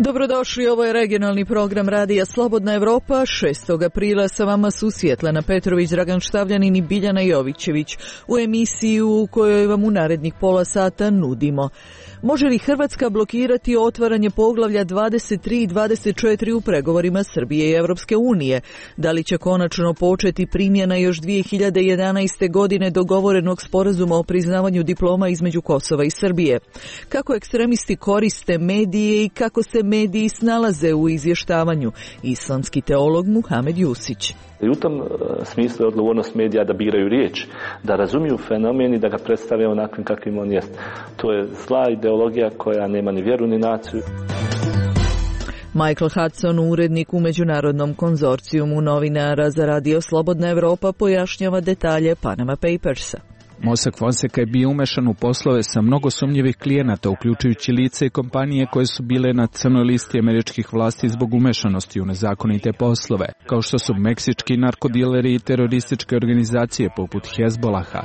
Dobrodošli, ovo je regionalni program Radija Slobodna Evropa. 6. aprila sa vama su Svjetlana Petrović, Dragan Štavljanin i Biljana Jovićević u emisiju u kojoj vam u narednih pola sata nudimo. Može li Hrvatska blokirati otvaranje poglavlja 23 i 24 u pregovorima Srbije i Europske unije? Da li će konačno početi primjena još 2011. godine dogovorenog sporazuma o priznavanju diploma između Kosova i Srbije? Kako ekstremisti koriste medije i kako se mediji snalaze u izvještavanju? Islamski teolog Muhamed Jusić. I u tom smislu je odgovornost medija da biraju riječ, da razumiju fenomen i da ga predstave onakvim kakvim on jest. To je zla ideologija koja nema ni vjeru ni naciju. Michael Hudson, urednik u Međunarodnom konzorcijumu novinara za Radio Slobodna Evropa, pojašnjava detalje Panama Papersa. Mossack Fonseca je bio umešan u poslove sa mnogo sumnjivih klijenata, uključujući lice i kompanije koje su bile na crnoj listi američkih vlasti zbog umešanosti u nezakonite poslove, kao što su meksički narkodileri i terorističke organizacije poput Hezbolaha.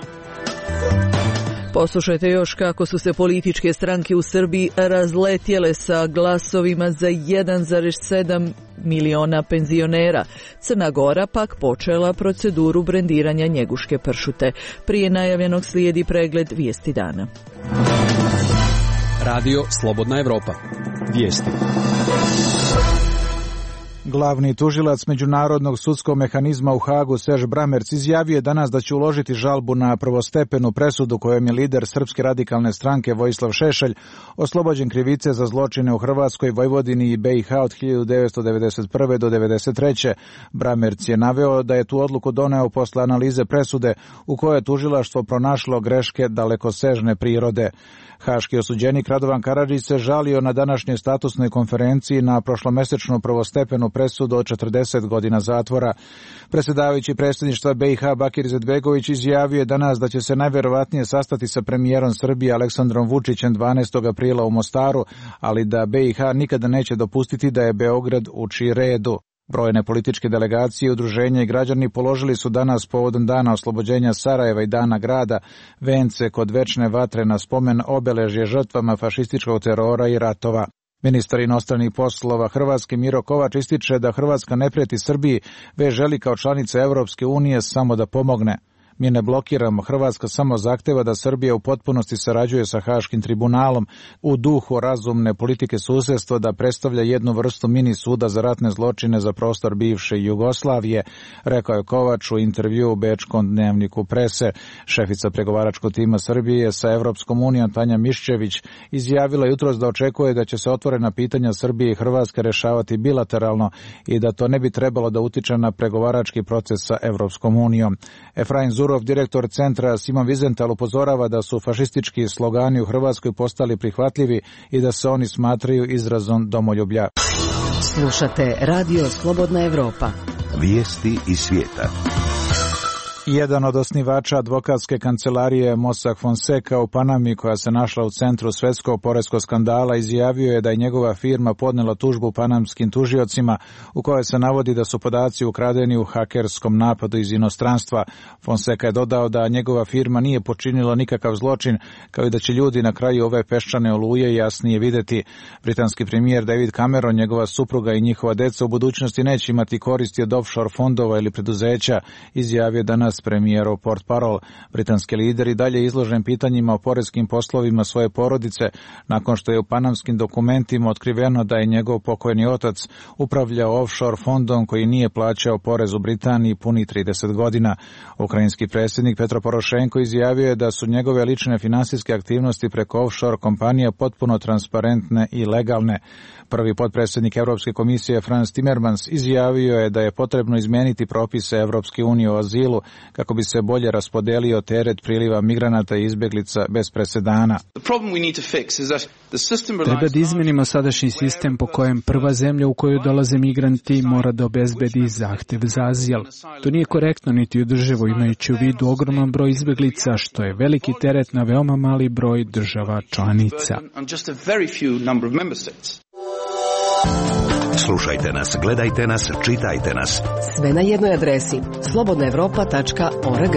Poslušajte još kako su se političke stranke u Srbiji razletjele sa glasovima za 1,7 miliona penzionera. Crna Gora pak počela proceduru brendiranja njeguške pršute. Prije najavljenog slijedi pregled vijesti dana. Radio Slobodna Evropa. Vijesti. Glavni tužilac Međunarodnog sudskog mehanizma u Hagu Serge Bramerc izjavio je danas da će uložiti žalbu na prvostepenu presudu kojom je lider Srpske radikalne stranke Vojislav Šešelj oslobođen krivice za zločine u Hrvatskoj, Vojvodini i BiH od 1991. do 1993. Bramerc je naveo da je tu odluku doneo posle analize presude u kojoj je tužilaštvo pronašlo greške dalekosežne prirode. Haški osuđenik Radovan Karadžić se žalio na današnjoj statusnoj konferenciji na prošlomesečnu prvostepenu presudu od 40 godina zatvora. Predsjedavajući predsjedništva BiH Bakir Izetbegović izjavio je danas da će se najvjerovatnije sastati sa premijerom Srbije Aleksandrom Vučićem 12. aprila u Mostaru, ali da BiH nikada neće dopustiti da je Beograd uči redu. Brojne političke delegacije, udruženja i građani položili su danas povodom dana oslobođenja Sarajeva i dana grada vence kod večne vatre na spomen obeležje žrtvama fašističkog terora i ratova. Ministar inostranih poslova Hrvatske Miro Kovač ističe da Hrvatska ne prijeti Srbiji, već želi kao članica Europske unije samo da pomogne. Mi ne blokiramo, Hrvatska samo zahteva da Srbija u potpunosti sarađuje sa Haškim tribunalom u duhu razumne politike susjedstva, da predstavlja jednu vrstu mini suda za ratne zločine za prostor bivše Jugoslavije, rekao je Kovač u intervju u Bečkom dnevniku Prese. Šefica pregovaračkog tima Srbije sa Evropskom unijom Tanja Miščević izjavila jutros da očekuje da će se otvorena pitanja Srbije i Hrvatske rešavati bilateralno i da to ne bi trebalo da utiče na pregovarački proces sa Evropskom unijom. Efraim Zurov, direktor centra Simon Wiesenthal, upozorava da su fašistički slogani u Hrvatskoj postali prihvatljivi i da se oni smatraju izrazom domoljublja. Slušate Radio Slobodna Evropa. Vijesti iz svijeta. Jedan od osnivača advokatske kancelarije Mossack Fonseca u Panami, koja se našla u centru svjetskog poreskog skandala, izjavio je da je njegova firma podnela tužbu panamskim tužiocima u kojoj se navodi da su podaci ukradeni u hakerskom napadu iz inostranstva. Fonseca je dodao da njegova firma nije počinila nikakav zločin, kao i da će ljudi na kraju ove peščane oluje jasnije vidjeti. Britanski premijer David Cameron, njegova supruga i njihova deca u budućnosti neće imati koristi od offshore fondova ili preduzeća, izjavio danas premijerov portparol. Britanski lider i dalje izložen pitanjima o poreskim poslovima svoje porodice, nakon što je u panamskim dokumentima otkriveno da je njegov pokojni otac upravljao offshore fondom koji nije plaćao porez u Britaniji puni 30 godina. Ukrajinski predsjednik Petro Porošenko izjavio je da su njegove lične finansijske aktivnosti preko offshore kompanija potpuno transparentne i legalne. Prvi potpredsjednik Europske komisije Frans Timmermans izjavio je da je potrebno izmijeniti propise Europske unije o azilu kako bi se bolje raspodelio teret priliva migranata i izbjeglica bez presedana. Treba da izmenimo sadašnji sistem po kojem prva zemlja u koju dolaze migranti mora da obezbedi zahtev za azil. To nije korektno niti održivo, imajući u vidu ogroman broj izbjeglica, što je veliki teret na veoma mali broj država članica. Slušajte nas, gledajte nas, čitajte nas. Sve na jednoj adresi slobodnaevropa.org.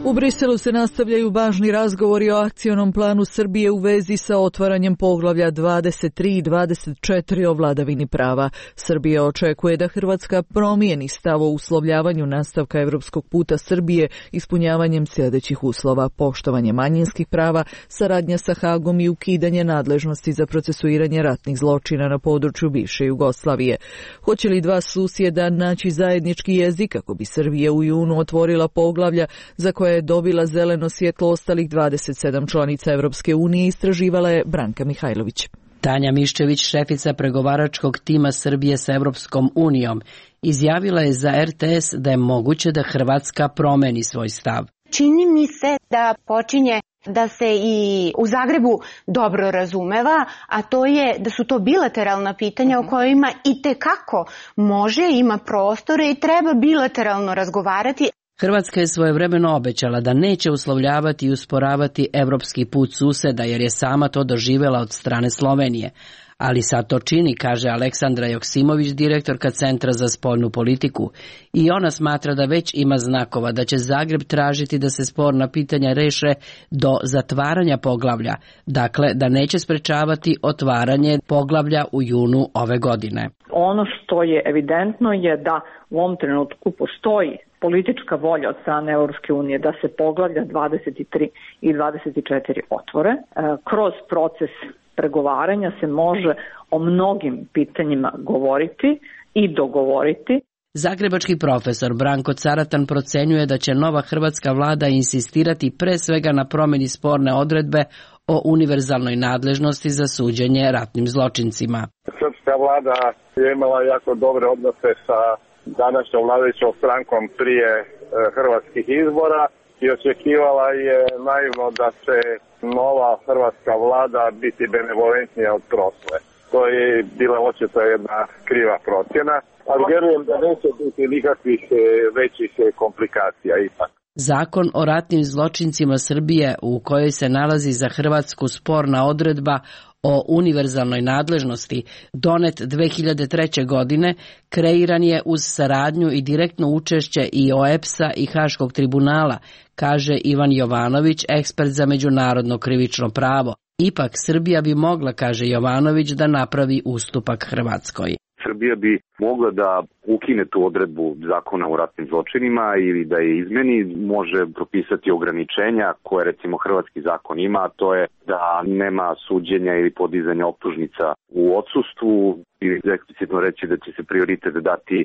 U Briselu se nastavljaju važni razgovori o akcionom planu Srbije u vezi sa otvaranjem poglavlja 23 i 24 o vladavini prava. Srbija očekuje da Hrvatska promijeni stav o uslovljavanju nastavka evropskog puta Srbije ispunjavanjem sljedećih uslova: poštovanje manjinskih prava, saradnja sa Hagom i ukidanje nadležnosti za procesuiranje ratnih zločina na području bivše Jugoslavije. Hoće li dva susjeda naći zajednički jezik kako bi Srbija u junu otvorila poglavlja za koje je dobila zeleno svjetlo ostalih 27 članica Evropske unije, istraživala je Branka Mihajlović. Tanja Miščević, šefica pregovaračkog tima Srbije sa Evropskom unijom, izjavila je za RTS da je moguće da Hrvatska promeni svoj stav. Čini mi se da počinje da se i u Zagrebu dobro razumeva, a to je da su to bilateralna pitanja o kojima itekako ima prostore i treba bilateralno razgovarati. Hrvatska je svojevremeno obećala da neće uslovljavati i usporavati evropski put suseda jer je sama to doživjela od strane Slovenije. Ali sad to čini, kaže Aleksandra Joksimović, direktorka Centra za spoljnu politiku. I ona smatra da već ima znakova da će Zagreb tražiti da se sporna pitanja reše do zatvaranja poglavlja. Dakle, da neće sprečavati otvaranje poglavlja u junu ove godine. Ono što je evidentno je da u ovom trenutku postoji politička volja od strane Europske unije da se poglavlja 23 i 24 otvore. Kroz proces pregovaranja se može o mnogim pitanjima govoriti i dogovoriti. Zagrebački profesor Branko Caratan procenjuje da će nova hrvatska vlada insistirati pre svega na promjeni sporne odredbe o univerzalnoj nadležnosti za suđenje ratnim zločincima. Srpska vlada je imala jako dobre odnose sa današnjom vladajućom strankom prije hrvatskih izbora i očekivala je naivno da će nova hrvatska vlada biti benevolentnija od prošle. To je bila očito jedna kriva procjena, ali vjerujem da neće biti nikakvih većih komplikacija ipak. Zakon o ratnim zločincima Srbije, u kojoj se nalazi za Hrvatsku sporna odredba o univerzalnoj nadležnosti, donet 2003. godine, kreiran je uz saradnju i direktno učešće i OEPS-a i Haškog tribunala, kaže Ivan Jovanović, ekspert za međunarodno krivično pravo. Ipak Srbija bi mogla, kaže Jovanović, da napravi ustupak Hrvatskoj. Srbija bi mogla da ukine tu odredbu zakona o ratnim zločinima ili da je izmeni, može propisati ograničenja koje recimo hrvatski zakon ima, a to je da nema suđenja ili podizanja optužnica u odsustvu ili eksplicitno reći da će se prioritet dati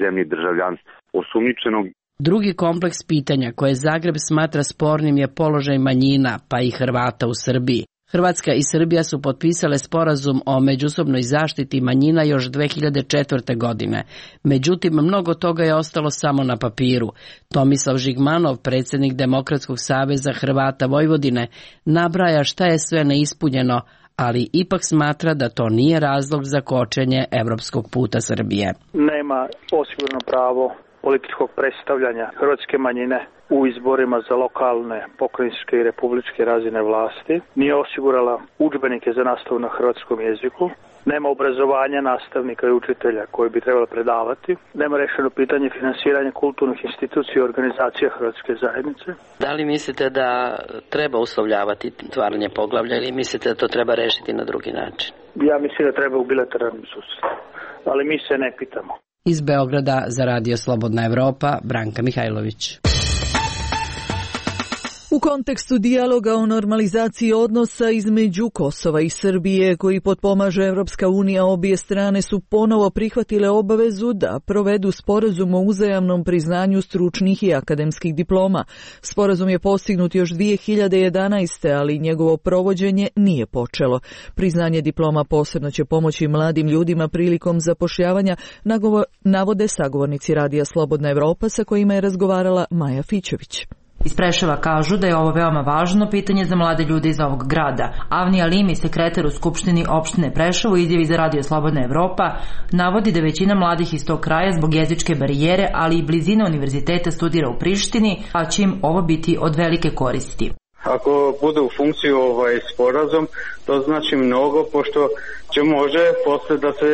zemlji državljanstva osumnjičenog. Drugi kompleks pitanja koje Zagreb smatra spornim je položaj manjina, pa i Hrvata u Srbiji. Hrvatska i Srbija su potpisale sporazum o međusobnoj zaštiti manjina još 2004. godine. Međutim, mnogo toga je ostalo samo na papiru. Tomislav Žigmanov, predsjednik Demokratskog saveza Hrvata Vojvodine, nabraja šta je sve neispunjeno, ali ipak smatra da to nije razlog za kočenje evropskog puta Srbije. Nema osigurno pravo političkog predstavljanja hrvatske manjine u izborima za lokalne, pokrajinske i republičke razine vlasti, nije osigurala udžbenike za nastavu na hrvatskom jeziku, nema obrazovanja nastavnika i učitelja koji bi trebali predavati, nema rešeno pitanje finansiranja kulturnih institucija i organizacija hrvatske zajednice. Da li mislite da treba uslovljavati otvaranje poglavlja ili mislite da to treba rešiti na drugi način? Ja mislim da treba u bilateralnom susretu, ali mi se ne pitamo. Iz Beograda za Radio Slobodna Evropa, Branka Mihajlović. U kontekstu dijaloga o normalizaciji odnosa između Kosova i Srbije, koji potpomaže Evropska unija, obje strane su ponovo prihvatile obavezu da provedu sporazum o uzajamnom priznanju stručnih i akademskih diploma. Sporazum je postignut još 2011. ali njegovo provođenje nije počelo. Priznanje diploma posebno će pomoći mladim ljudima prilikom zapošljavanja, navode sagovornici Radija Slobodna Evropa sa kojima je razgovarala Maja Fićević. Iz Preševa kažu da je ovo veoma važno pitanje za mlade ljude iz ovog grada. Avni Alimi, sekretar u Skupštini opštine Preševo, izjavi za Radio Slobodna Evropa, navodi da većina mladih iz tog kraja zbog jezičke barijere, ali i blizine univerziteta studira u Prištini, a će im ovo biti od velike koristi. Ako bude u funkciju sporazum, to znači mnogo, pošto će može posle da se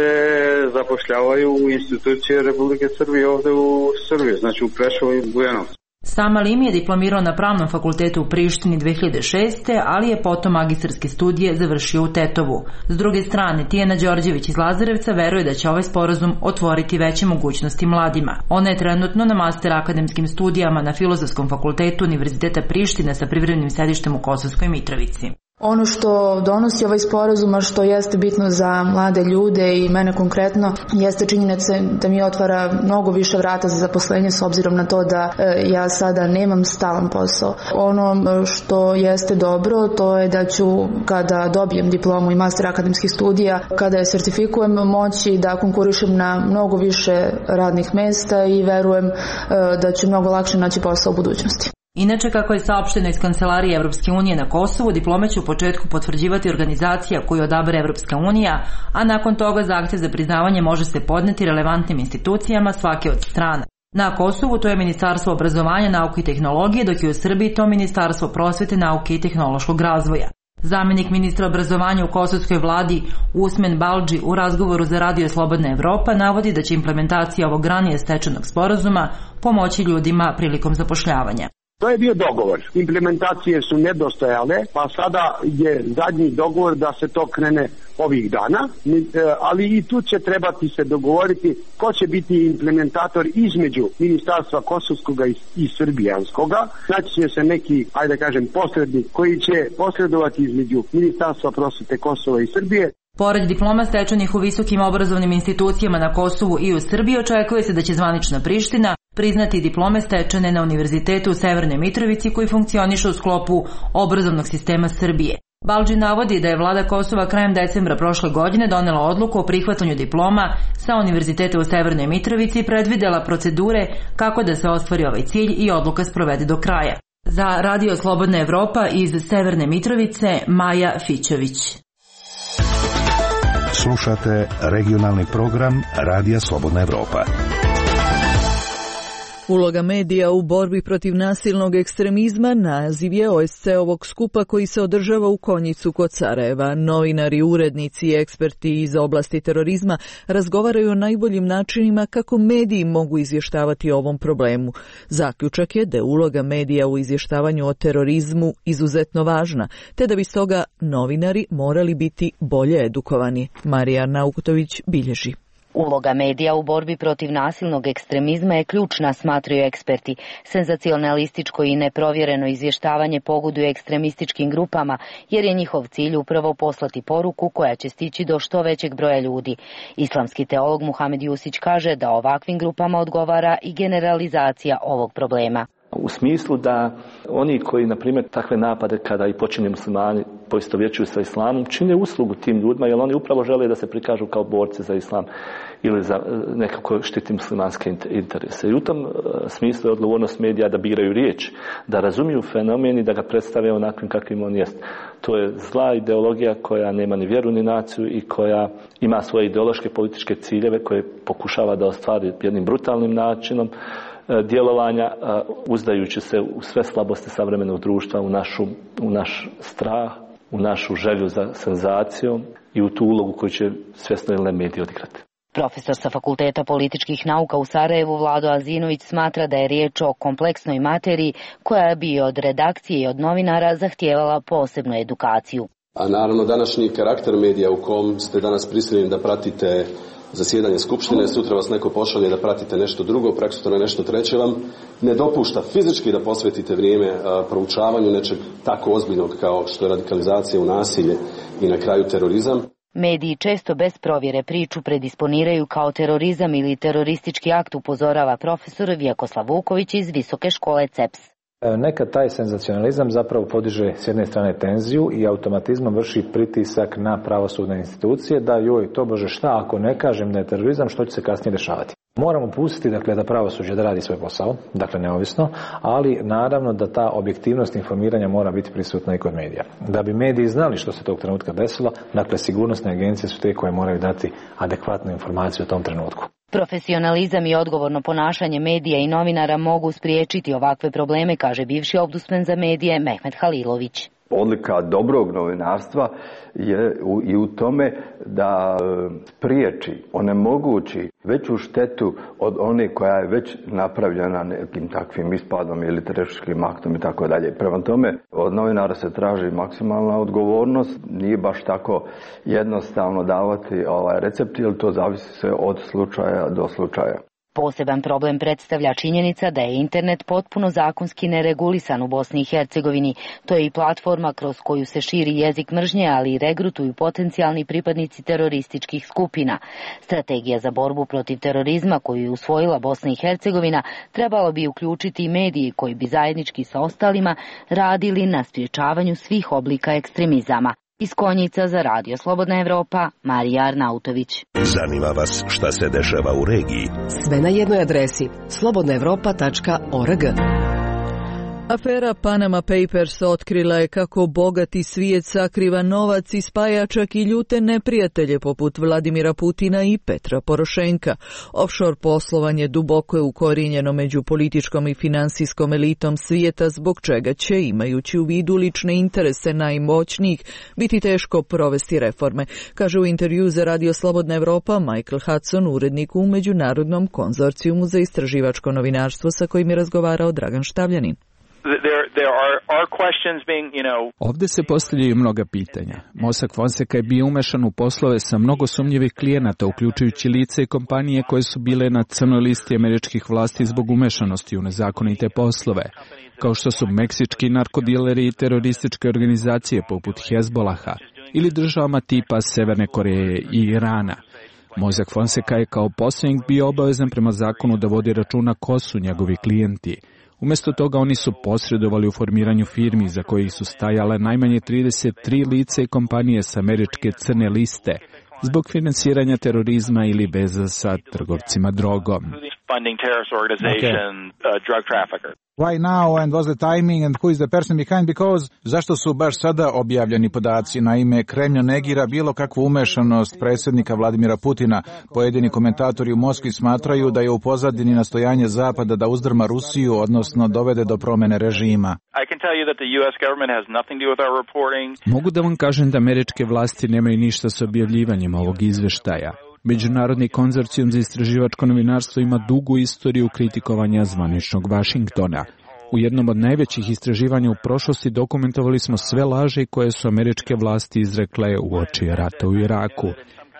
zapošljavaju u institucije Republike Srbije ovde u Srbiji, znači u Preševu i Bujanovcu. Sam Alimi je diplomirao na Pravnom fakultetu u Prištini 2006. ali je potom magistarske studije završio u Tetovu. S druge strane, Tijana Đorđević iz Lazarevca veruje da će ovaj sporazum otvoriti veće mogućnosti mladima. Ona je trenutno na master akademskim studijama na Filozofskom fakultetu Univerziteta Prištine sa privremenim sedištem u Kosovskoj Mitrovici. Ono što donosi ovaj sporazum, a što jeste bitno za mlade ljude i mene konkretno, jeste činjenica da mi otvara mnogo više vrata za zaposlenje s obzirom na to da ja sada nemam stalan posao. Ono što jeste dobro, to je da ću kada dobijem diplomu i master akademskih studija, kada je sertifikujem, moći da konkurišem na mnogo više radnih mesta i verujem da ću mnogo lakše naći posao u budućnosti. Inače, kako je saopšteno iz Kancelarije Evropske unije na Kosovu, diplome će u početku potvrđivati organizacija koju odabere Evropska unija, a nakon toga zahtjev za priznavanje može se podneti relevantnim institucijama svake od strana. Na Kosovu to je Ministarstvo obrazovanja, nauke i tehnologije, dok je u Srbiji to Ministarstvo prosvete, nauke i tehnološkog razvoja. Zamjenik ministra obrazovanja u kosovskoj vladi Usmen Baldži u razgovoru za Radio Slobodna Evropa navodi da će implementacija ovog ranije stečenog sporazuma pomoći ljudima prilikom zapošljavanja. To je bio dogovor. Implementacije su nedostajale, pa sada je zadnji dogovor da se to krene ovih dana, ali i tu će trebati se dogovoriti ko će biti implementator između Ministarstva Kosovskog i Srbijanskoga. Znači će se neki, ajde kažem, posrednik koji će posredovati između Ministarstva prosvete Kosova i Srbije. Pored diploma stečenih u visokim obrazovnim institucijama na Kosovu i u Srbiji, očekuje se da će zvanična Priština priznati diplome stečene na Univerzitetu u Severnoj Mitrovici koji funkcioniše u sklopu obrazovnog sistema Srbije. Baldži navodi da je vlada Kosova krajem decembra prošle godine donela odluku o prihvatanju diploma sa Univerziteta u Severnoj Mitrovici i predvidela procedure kako da se ostvari ovaj cilj i odluka sprovede do kraja. Za Radio Slobodna Evropa iz Severne Mitrovice, Maja Fićević. Slušate regionalni program Radija Slobodna Evropa. Uloga medija u borbi protiv nasilnog ekstremizma naziv je OSCE-ovog skupa koji se održava u Konjicu kod Sarajeva. Novinari, urednici i eksperti iz oblasti terorizma razgovaraju o najboljim načinima kako mediji mogu izvještavati o ovom problemu. Zaključak je da je uloga medija u izvještavanju o terorizmu izuzetno važna, te da bi stoga novinari morali biti bolje edukovani. Marija Naukutović bilježi. Uloga medija u borbi protiv nasilnog ekstremizma je ključna, smatraju eksperti. Senzacionalističko i neprovjereno izvještavanje pogoduje ekstremističkim grupama, jer je njihov cilj upravo poslati poruku koja će stići do što većeg broja ljudi. Islamski teolog Muhamed Jusić kaže da ovakvim grupama odgovara i generalizacija ovog problema. U smislu da oni koji, na primjer, takve napade kada i počinje muslimani poistovjećuju sa islamom, čine uslugu tim ljudima, jer oni upravo žele da se prikažu kao borci za islam ili za nekako štiti muslimanske interese. I u tom smislu je odgovornost medija da biraju riječ, da razumiju fenomen i da ga predstave onakvim kakvim on jest. To je zla ideologija koja nema ni vjeru ni naciju i koja ima svoje ideološke političke ciljeve koje pokušava da ostvari jednim brutalnim načinom djelovanja, uzdajući se u sve slabosti savremenog društva, u naš strah, u našu želju za senzacijom i u tu ulogu koju će svjesno ili ne mediji odigrati. Profesor sa Fakulteta političkih nauka u Sarajevu Vlado Azinović smatra da je riječ o kompleksnoj materiji koja bi od redakcije i od novinara zahtijevala posebnu edukaciju. A naravno današnji karakter medija u kom ste danas prisiljeni da pratite zasjedanje skupštine, sutra vas neko pošalje da pratite nešto drugo, preksutra nešto treće vam ne dopušta fizički da posvetite vrijeme proučavanju nečeg tako ozbiljnog kao što je radikalizacija u nasilje i na kraju terorizam. Mediji često bez provjere priču predisponiraju kao terorizam ili teroristički akt, upozorava profesor Vjekoslav Vuković iz Visoke škole CEPS. Nekad taj senzacionalizam zapravo podiže s jedne strane tenziju i automatizmom vrši pritisak na pravosudne institucije da joj tobože šta ako ne kažem da je terorizam, što će se kasnije dešavati. Moramo pustiti da pravosuđe da radi svoj posao, dakle neovisno, ali naravno da ta objektivnost informiranja mora biti prisutna i kod medija. Da bi mediji znali što se tog trenutka desilo, dakle sigurnosne agencije su te koje moraju dati adekvatnu informaciju o tom trenutku. Profesionalizam i odgovorno ponašanje medija i novinara mogu spriječiti ovakve probleme, kaže bivši ombudsman za medije Mehmet Halilović. Odlika dobrog novinarstva je i u tome da spriječi, onemogući veću štetu od one koja je već napravljena nekim takvim ispadom ili terorističkim aktom i tako dalje. Prema tome, od novinara se traži maksimalna odgovornost, nije baš tako jednostavno davati recept, jer to zavisi se od slučaja do slučaja. Poseban problem predstavlja činjenica da je internet potpuno zakonski neregulisan u Bosni i Hercegovini. To je i platforma kroz koju se širi jezik mržnje, ali i regrutuju potencijalni pripadnici terorističkih skupina. Strategija za borbu protiv terorizma koju je usvojila Bosna i Hercegovina trebalo bi uključiti i mediji koji bi zajednički sa ostalima radili na sprječavanju svih oblika ekstremizama. Iz Konjica za Radio Slobodna Evropa, Marija Arnautović. Zanima vas šta se dešava u regiji? Sve na jednoj adresi slobodnaevropa.org. Afera Panama Papers otkrila je kako bogati svijet sakriva novac i spaja čak i ljute neprijatelje poput Vladimira Putina i Petra Porošenka. Offshore poslovanje duboko je ukorijenjeno među političkom i finansijskom elitom svijeta, zbog čega će, imajući u vidu lične interese najmoćnijih, biti teško provesti reforme, kaže u intervju za Radio Slobodna Evropa Michael Hudson, urednik u Međunarodnom konzorcijumu za istraživačko novinarstvo sa kojim je razgovarao Dragan Štavljanin. Ovdje se postavljaju mnoga pitanja. Mossack Fonseca je bio umešan u poslove sa mnogo sumnjivih klijenata, uključujući lice i kompanije koje su bile na crnoj listi američkih vlasti zbog umešanosti u nezakonite poslove, kao što su meksički narkodileri i terorističke organizacije poput Hezbolaha ili državama tipa Severne Koreje i Irana. Mossack Fonseca je kao posrednik bio obavezan prema zakonu da vodi računa ko su njegovi klijenti. Umjesto toga oni su posredovali u formiranju firmi za kojih su stajale najmanje 33 lice i kompanije sa američke crne liste zbog finansiranja terorizma ili veza sa trgovcima drogom. Why now and what's the timing and who is the person behind? Because zašto su baš sada objavljeni podaci? Naime, Kremlj negira bilo kakvu umešanost predsjednika Vladimira Putina. Pojedini komentatori u Moskvi smatraju da je u pozadini nastojanje Zapada da uzdrma Rusiju, odnosno dovede do promjene režima. Mogu da vam kažem da američke vlasti nemaju ništa s objavljivanjem ovog izveštaja. Međunarodni konzorcijum za istraživačko novinarstvo ima dugu istoriju kritikovanja zvaničnog Vašingtona. U jednom od najvećih istraživanja u prošlosti dokumentovali smo sve laži koje su američke vlasti izrekle uoči rata u Iraku.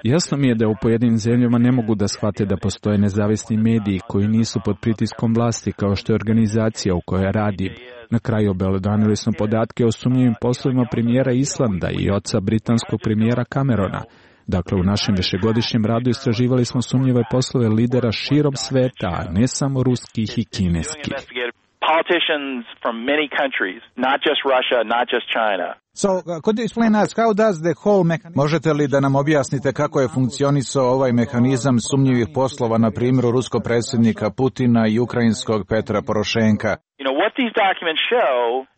Jasno mi je da u pojedinim zemljama ne mogu da shvate da postoje nezavisni mediji koji nisu pod pritiskom vlasti, kao što je organizacija u kojoj radim. Na kraju obelodanili smo podatke o sumnjivim poslovima premijera Islanda i oca britanskog premijera Camerona. Dakle, u našem višegodišnjem radu istraživali smo sumnjive poslove lidera širom sveta, a ne samo ruskih i kineskih. So, could you explain us how does the whole mechanism... Možete li da nam objasnite kako je funkcionisao ovaj mehanizam sumnjivih poslova, na primjeru ruskog predsjednika Putina i ukrajinskog Petra Porošenka?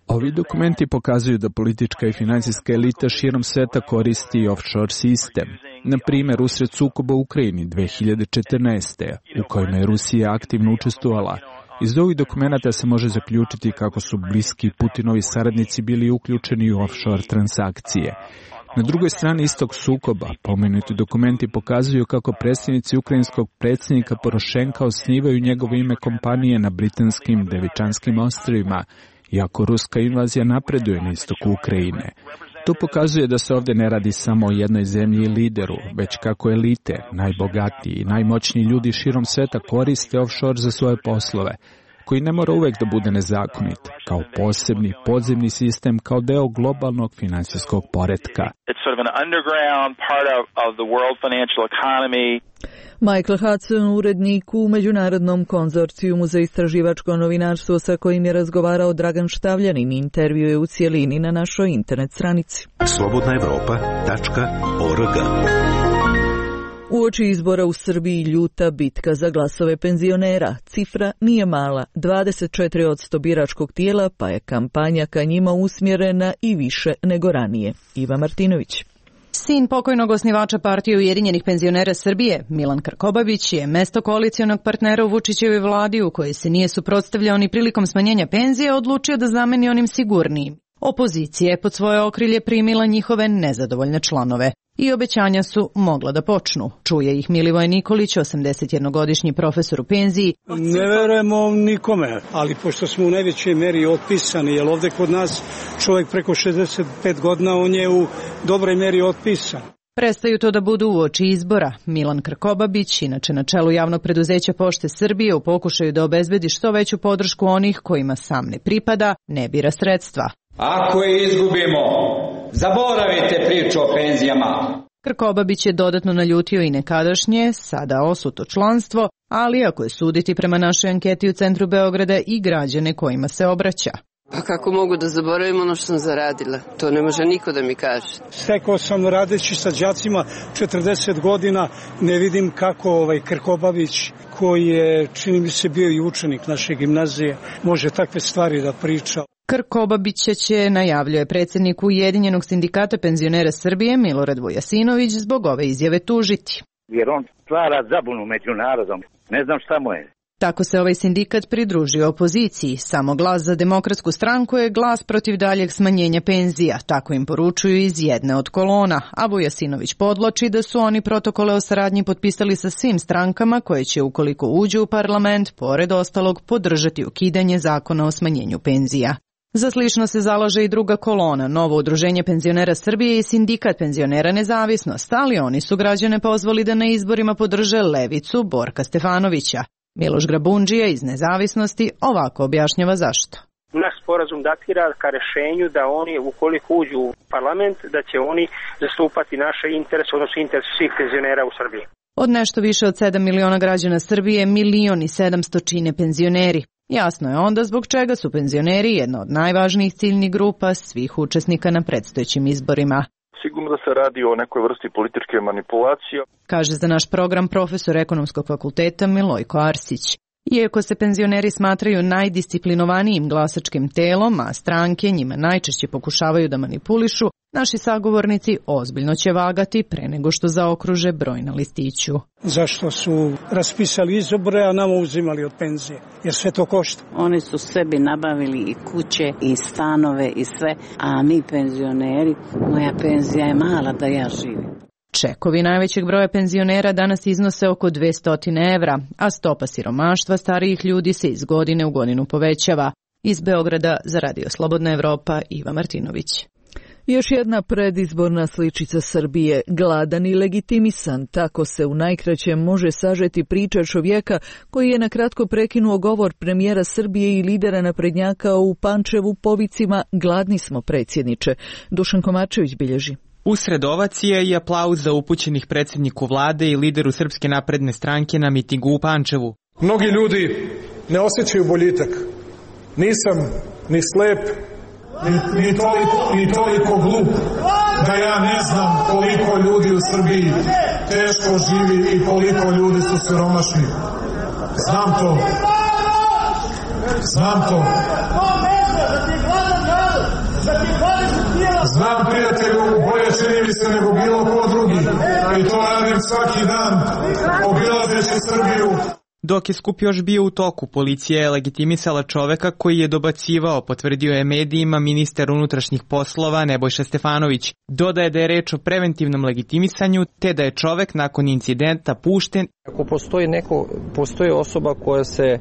Ovi dokumenti pokazuju da politička i financijska elita širom sveta koristi offshore sistem. Na primjer, usred sukoba u Ukrajini 2014. u kojima je Rusija aktivno učestvovala. Iz ovih dokumenata se može zaključiti kako su bliski Putinovi saradnici bili uključeni u offshore transakcije. Na drugoj strani istog sukoba, pomenuti dokumenti pokazuju kako predstavnici ukrajinskog predsjednika Porošenka osnivaju njegovo ime kompanije na britanskim Devičanskim ostrvima, iako ruska invazija napreduje na istoku Ukrajine. To pokazuje da se ovdje ne radi samo o jednoj zemlji i lideru, već kako elite, najbogatiji i najmoćniji ljudi širom sveta koriste offshore za svoje poslove, koji ne mora uvek da bude nezakonit, kao posebni podzemni sistem, kao deo globalnog finansijskog poretka. Michael Hudson, urednik u Međunarodnom konzorcijumu za istraživačko novinarstvo sa kojim je razgovarao Dragan Štavljanin, intervju je u cijelini na našoj internet stranici. slobodnaevropa.org. Uoči izbora u Srbiji ljuta bitka za glasove penzionera. Cifra nije mala, 24% biračkog tijela, pa je kampanja ka njima usmjerena i više nego ranije. Iva Martinović. Sin pokojnog osnivača partije Ujedinjenih penzionera Srbije, Milan Krkobabić, je mesto koalicionog partnera u Vučićevoj vladi, u kojoj se nije suprotstavljao ni prilikom smanjenja penzije, odlučio da zameni onim sigurnijim. Opozicija je pod svoje okrilje primila njihove nezadovoljne članove i obećanja su mogla da počnu. Čuje ih Milivoje Nikolić, 81-godišnji profesor u penziji. Ne verujemo nikome, ali pošto smo u najvećoj meri otpisani, jer ovde kod nas čovjek preko 65 godina, on je u dobroj meri otpisan. Prestaju to da budu uoči izbora. Milan Krkobabić, inače na čelu javnog preduzeća Pošte Srbije, u pokušaju da obezbedi što veću podršku onih kojima sam ne pripada, ne bira sredstva. Ako je izgubimo, zaboravite priču o penzijama. Krkobabić je dodatno naljutio i nekadašnje, sada osuto članstvo, ali ako je suditi prema našoj anketi u centru Beograda i građane kojima se obraća. Pa kako mogu da zaboravim ono što sam zaradila? To ne može niko da mi kaže. Stekao sam radeći sa đacima 40 godina, ne vidim kako Krkobabić, koji je, čini mi se, bio i učenik naše gimnazije, može takve stvari da priča. Krkobabića će, najavljuje predsjednik Ujedinjenog sindikata penzionera Srbije Milorad Vujasinović, zbog ove izjave tužiti. Jer on stvara zabunu među narodom. Ne znam šta mu je. Tako se ovaj sindikat pridružio opoziciji. Samo Glas za demokratsku stranku je glas protiv daljeg smanjenja penzija. Tako im poručuju iz jedne od kolona. A Vujasinović podvlači da su oni protokole o saradnji potpisali sa svim strankama koje će, ukoliko uđu u parlament, pored ostalog podržati ukidanje zakona o smanjenju penzija. Za slično se zalaže i druga kolona, Novo udruženje penzionera Srbije i Sindikat penzionera Nezavisnost, ali oni su građane pozvali da na izborima podrže levicu Borka Stefanovića. Miloš Grabundžija iz Nezavisnosti ovako objašnjava zašto. Naš sporazum datira ka rešenju da oni, ukoliko uđu u parlament, da će oni zastupati naše interese, odnosno interese svih penzionera u Srbiji. Od nešto više od 7 miliona građana Srbije, 1.700.000 čine penzioneri. Jasno je onda zbog čega su penzioneri jedna od najvažnijih ciljnih grupa svih učesnika na predstojećim izborima. Sigurno da se radi o nekoj vrsti političke manipulacije, kaže za naš program profesor Ekonomskog fakulteta Milojko Arsić. Iako se penzioneri smatraju najdisciplinovanijim glasačkim telom, a stranke njima najčešće pokušavaju da manipulišu, naši sagovornici ozbiljno će vagati pre nego što zaokruže broj na listiću. Zašto su raspisali izbore, a nama uzimali od penzije? Jer sve to košta. Oni su sebi nabavili i kuće, i stanove, i sve, a mi penzioneri, moja penzija je mala da ja živim. Čekovi najvećeg broja penzionera danas iznose oko 200 evra, a stopa siromaštva starijih ljudi se iz godine u godinu povećava. Iz Beograda za Radio Slobodna Evropa, Iva Martinović. Još jedna predizborna sličica Srbije, gladan i legitimisan, tako se u najkraćem može sažeti priča čovjeka koji je nakratko prekinuo govor premijera Srbije i lidera naprednjaka u Pančevu povicima "Gladni smo, predsjedniče". Dušan Komarčević bilježi. Usred ovacije i aplauza upućenih predsjedniku vlade i lideru Srpske napredne stranke na mitingu u Pančevu. Mnogi ljudi ne osjećaju boljitak. Nisam ni slep, ni toliko glup da ja ne znam koliko ljudi u Srbiji teško živi i koliko ljudi su siromašni. Znam to. Znam, prijatelju, bolje čini mi se nego bilo ko drugi, i to radim svaki dan, obilazeći Srbiju. Dok je skup još bio u toku, policija je legitimisala čoveka koji je dobacivao, potvrdio je medijima ministar unutrašnjih poslova Nebojša Stefanović. Dodaje da je reč o preventivnom legitimisanju, te da je čovek nakon incidenta pušten. Ako postoji osoba koja se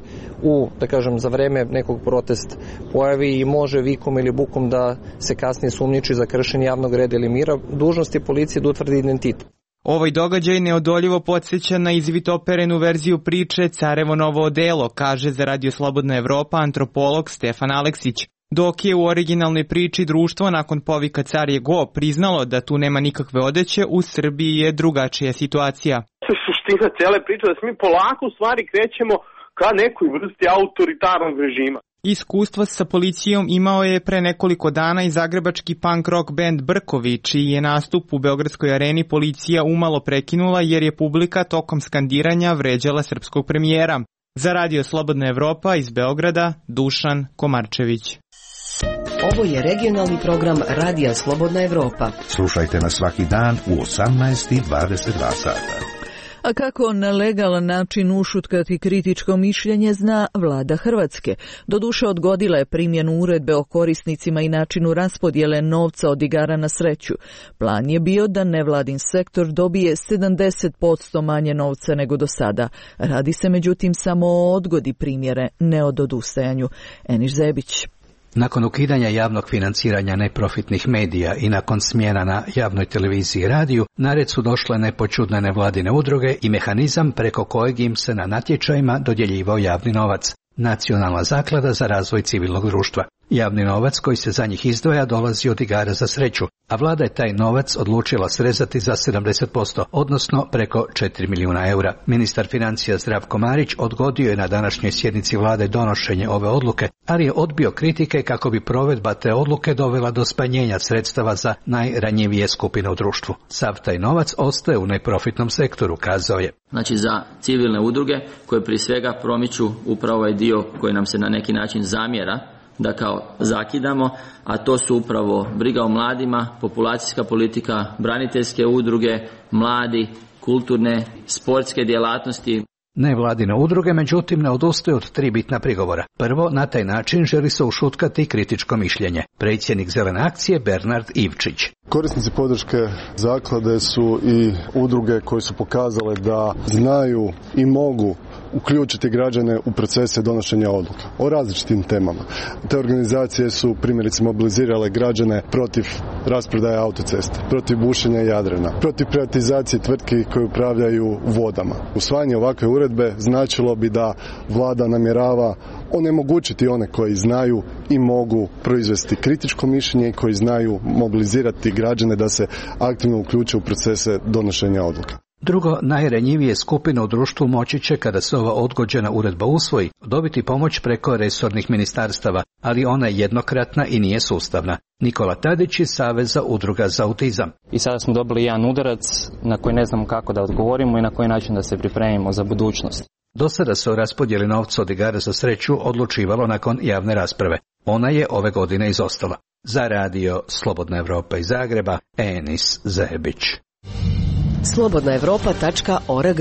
za vreme nekog protesta pojavi i može vikom ili bukom da se kasnije sumnjiči za kršenje javnog reda ili mira, dužnost je policije da utvrdi identitet. Ovaj događaj neodoljivo podsjeća na izvitoperenu verziju priče Carevo novo odelo, kaže za Radio Slobodna Evropa antropolog Stefan Aleksić. Dok je u originalnoj priči društvo nakon povika Car je go priznalo da tu nema nikakve odeće, u Srbiji je drugačija situacija. Suština cele priče da se mi polako u stvari krećemo ka nekoj vrsti autoritarnog režima. Iskustvo sa policijom imao je pre nekoliko dana i zagrebački punk rock band Brkovi, čiji je nastup u Beogradskoj areni policija umalo prekinula jer je publika tokom skandiranja vređala srpskog premijera. Za Radio Slobodna Evropa iz Beograda, Dušan Komarčević. Ovo je regionalni program Radija Slobodna Evropa. Slušajte nas svaki dan u 18:22 sata. A kako na legalan način ušutkati kritičko mišljenje zna vlada Hrvatske. Doduše odgodila je primjenu uredbe o korisnicima i načinu raspodjele novca od igara na sreću. Plan je bio da nevladin sektor dobije 70% manje novca nego do sada. Radi se međutim samo o odgodi primjere, ne o odustajanju. Eniš Zebić. Nakon ukidanja javnog financiranja neprofitnih medija i nakon smjena na javnoj televiziji i radiju, na red su došle nepoćudne nevladine udruge i mehanizam preko kojeg im se na natječajima dodjeljivao javni novac. Nacionalna zaklada za razvoj civilnog društva. Javni novac koji se za njih izdvaja dolazi od igara za sreću, a vlada je taj novac odlučila srezati za 70%, odnosno preko 4 milijuna eura. Ministar financija Zdravko Marić odgodio je na današnjoj sjednici vlade donošenje ove odluke, ali je odbio kritike kako bi provedba te odluke dovela do smanjenja sredstava za najranjivije skupine u društvu. Sav taj novac ostaje u neprofitnom sektoru, kazao je. Znači za civilne udruge koje prije svega promiču upravo ovaj dio koji nam se na neki način zamjera da kao zakidamo, a to su upravo briga o mladima, populacijska politika, braniteljske udruge, mladi, kulturne, sportske djelatnosti. Nevladine udruge međutim ne odustaju od 3 bitna prigovora. Prvo, na taj način želi se ušutkati kritičko mišljenje. Predsjednik Zelene akcije Bernard Ivčić. Korisnici podrške zaklade su i udruge koje su pokazale da znaju i mogu uključiti građane u procese donošenja odluka o različitim temama. Te organizacije su primjerice mobilizirale građane protiv rasprodaje autoceste, protiv bušenja Jadrana, protiv privatizacije tvrtki koje upravljaju vodama. Usvajanje ovakve uredbe značilo bi da vlada namjerava onemogućiti one koji znaju i mogu proizvesti kritičko mišljenje i koji znaju mobilizirati građane da se aktivno uključe u procese donošenja odluka. Drugo, najranjivije skupine u društvu moći će, kada se ova odgođena uredba usvoji, dobiti pomoć preko resornih ministarstava, ali ona je jednokratna i nije sustavna. Nikola Tadić iz Saveza udruga za autizam. I sada smo dobili jedan udarac na koji ne znamo kako da odgovorimo i na koji način da se pripremimo za budućnost. Do sada se o raspodjeli novca od igara za sreću odlučivalo nakon javne rasprave. Ona je ove godine izostala. Za radio Slobodna Evropa iz Zagreba, Enis Zebić. slobodnaevropa.org.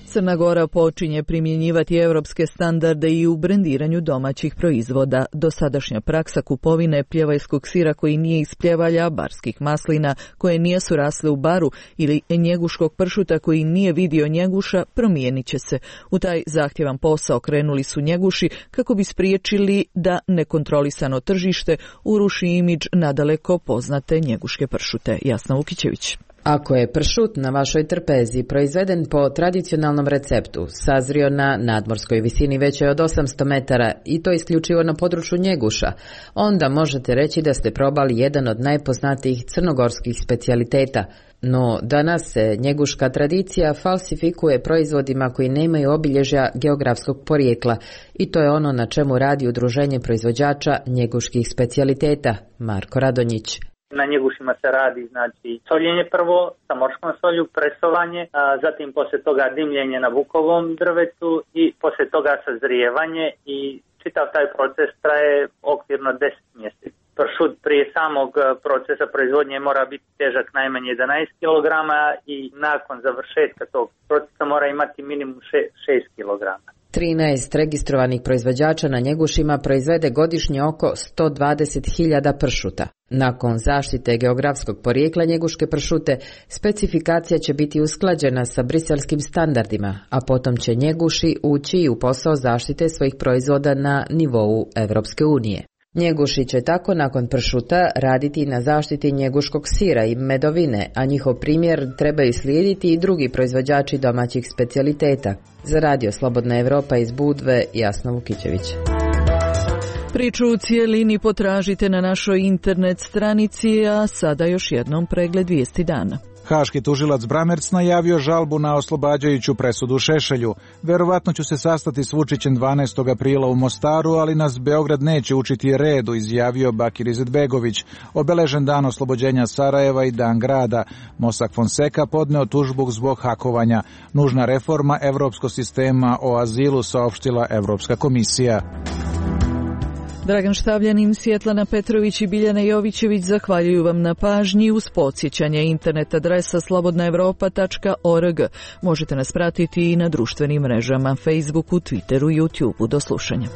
Crna Gora počinje primjenjivati europske standarde i u brendiranju domaćih proizvoda. Dosadašnja praksa kupovine pljevajskog sira koji nije iz pljevalja, barskih maslina koje nisu rasle u baru ili njeguškog pršuta koji nije vidio njeguša promijenit će se. U taj zahtjevan posao krenuli su njeguši kako bi spriječili da nekontrolisano tržište uruši imidž nadaleko poznate njeguške pršute. Jasna Vukićević. Ako je pršut na vašoj trpezi proizveden po tradicionalnom receptu, sazrio na nadmorskoj visini većoj od 800 metara i to isključivo na području njeguša, onda možete reći da ste probali jedan od najpoznatijih crnogorskih specijaliteta. No, danas se njeguška tradicija falsifikuje proizvodima koji nemaju obilježja geografskog porijekla i to je ono na čemu radi Udruženje proizvođača njeguških specijaliteta, Marko Radonjić. Na njegušima se radi znači soljenje prvo sa morskom solju, presovanje, zatim poslije toga dimljenje na bukovom drvetu i poslije toga sazrijevanje i čitav taj proces traje okvirno 10 mjeseci. Pršut prije samog procesa proizvodnje mora biti težak najmanje 11 kg i nakon završetka tog procesa mora imati minimum 6 kg. 13 registrovanih proizvođača na njegušima proizvede godišnje oko 120.000 pršuta. Nakon zaštite geografskog porijekla njeguške pršute, specifikacija će biti usklađena sa briselskim standardima, a potom će njeguši ući u posao zaštite svojih proizvoda na nivou Europske unije. Njeguši će tako nakon pršuta raditi na zaštiti njeguškog sira i medovine, a njihov primjer trebaju slijediti i drugi proizvođači domaćih specijaliteta. Za radio Slobodna Evropa iz Budve, Jasna Vukićević. Priču u cijelini potražite na našoj internet stranici, a sada još jednom pregled vijesti dana. Haški tužilac Bramerc najavio žalbu na oslobađajuću presudu Šešelju. Verovatno ću se sastati s Vučićem 12. aprila u Mostaru, ali nas Beograd neće učiti redu, izjavio Bakir Izetbegović. Obeležen dan oslobođenja Sarajeva i dan grada. Mossack Fonseca podneo tužbu zbog hakovanja. Nužna reforma evropskog sistema o azilu, saopštila Evropska komisija. Dragan Štavljanin, Svjetlana Petrović i Biljana Jovićević zahvaljuju vam na pažnji. Uz podsjećanje internet adresa slobodnaevropa.org. Možete nas pratiti i na društvenim mrežama Facebooku, Twitteru i YouTubeu. Do slušanja.